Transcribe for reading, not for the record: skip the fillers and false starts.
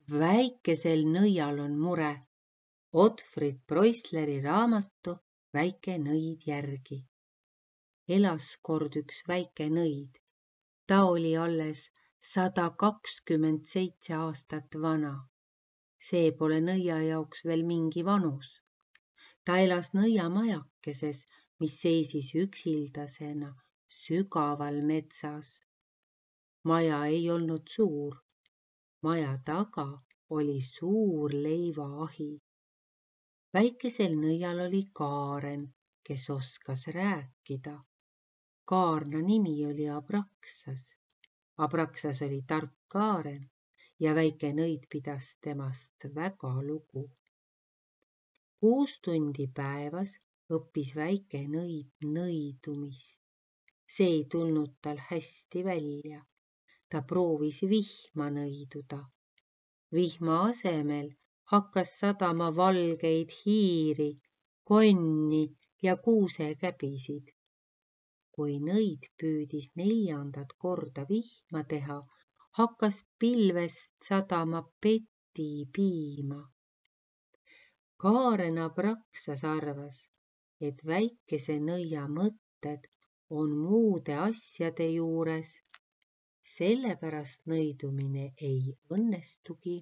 Väikesel nõial on mure. Otfrid Preussleri raamatu Väike nõid järgi. Elas kord üks väike nõid. Ta oli alles 127 aastat vana. See pole nõia jaoks veel mingi vanus. Ta elas nõiamajakeses, mis seisis üksildasena sügaval metsas. Maja ei olnud suur. Maja taga oli suur leivaahi. Väikesel nõial oli Kaaren, kes oskas rääkida. Kaarna nimi oli Abraksas. Abraksas oli tark Kaaren ja väike nõid pidas temast väga lugu. 6 tundi päevas õppis väike nõid nõidumist. See ei tulnud tal hästi välja. Ta proovis vihma nõiduda. Vihma asemel hakkas sadama valgeid hiiri, konni ja kuusekäbisid. Kui nõid püüdis 4. korda vihma teha, hakkas pilvest sadama petipiima. Kaaren Abraksas arvas, et väikese nõia mõtted on muude asjade juures, sellepärast nõidumine ei õnnestugi.